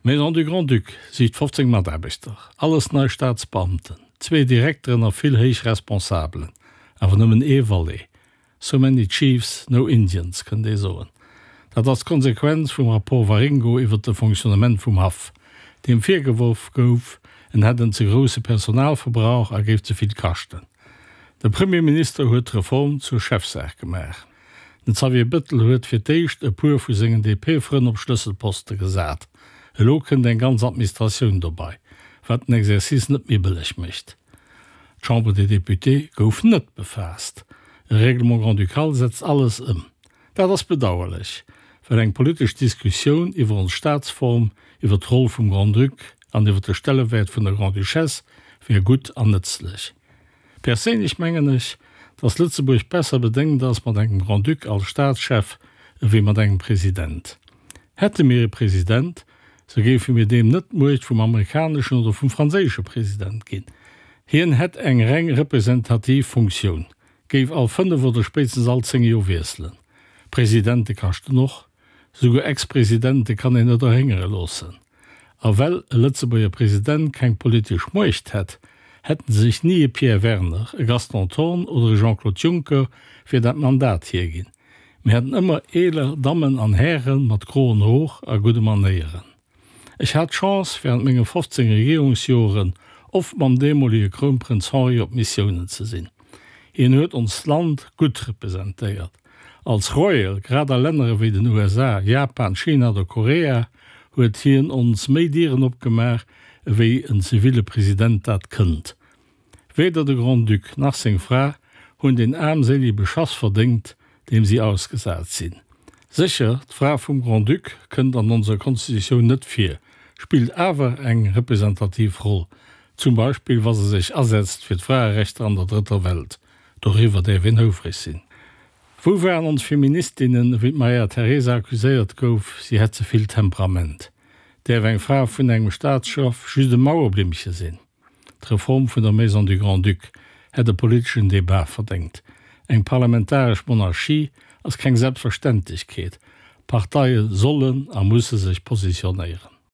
D'Maison du Grand-Duc sicht 15 Mataarbechter, alles nei Staatsbeamten, zwee Direkteren a vill héich Responsabelen, awer nëmmen ee Volet. So many chiefs, no Indians, kënnt ee soen. Dat ass d'Konsequenz vum Rapport Waringo iwwert de Fonctionnement vum Haff, deem virgeworf gouf, en hätt en ze grousse Personalverbrauch a géif ze vill kaschten. De Premierminister huet d'Reform zur Chefsaach gemaach. Den Xavier Bettel huet fir d'éischt e puer vu sengen DP-Frënn op Schlësselposte gesat. Elo kënnt eng ganz Administratioun dobei, wat den Exercice net méi bëlleg mécht. D'Chambre des Députés gouf net befaasst. E Règlement grand-ducal setzt alles ëm. Dat ass bedauerlech, well eng politesch Diskussioun iwwer ons Staatsform, iwwer d'Roll vum Grand-Duc an iwwer de Stellewäert vun der Grand-Duchesse wär gutt an nëtzlech. Perséinlech mengen ech, dass Lëtzebuerg besser bedéngt ass mat engem Grand-Duc als Staatschef ewéi mat engem President. Hätte mir e President, sou géife mir deem net d'Muecht vum amerikaneschen oder vum franséische President ginn. Hien hätt eng reng representativ Funktioun, géif all 5 oder spéitstens all 10 Joer wiesselen. Presidente kaschten och. Souguer Ex-Presidente kann een net erhéngere loossen. A well e Lëtzebuerger President keng politesch Muecht hätt, hätten sech ni e Pierre Werner, e Gaston Thorn oder e Jean-Claude Juncker fir dat Mandat hierginn. Mir haten ëmmer eeler Dammen an Häre mat groen Hor a gudde Manéieren. Ech hat d'Chance, während menge 15 Regierungsjoren oft mam deemolige Krounprënz Henri op Missiounen ze sinn. Hien huet onst Land gutt representéiert. Als Royal, grad a Länner ewéi den USA, Japan, China oder Korea, huet hien ons méi Dieren opgemaach, ewéi en ziville President dat kënnt. Weder de Grand-Duc nach seng Fra hunn deen aarmséilige Beschass verdéngt, deem si ausgesat sinn. Sécher, d'Fra vum Grand-Duc kënnt an onser Konstitutioun net vir, spillt awer eng representativ Roll, zum Beispill wa se sech asetzt fir d'Fraerechter an der Drëtter Welt. Doriwwer däerf een houfreg sinn. Wou waren ons Feministinnen, wéi d'Maria Teresa accuséiert gouf, si hätt ze vill Temperament? Däerf eng Fra vun engem Staatschef just e Mauerblimmche sinn? D'Reform vun der Maison du Grand-Duc hätt e politeschen Debat verdéngt. Eng parlamentaresch Monarchie ass keng Selbstverständlechkeet. Parteie sollen a musse sech positionéieren.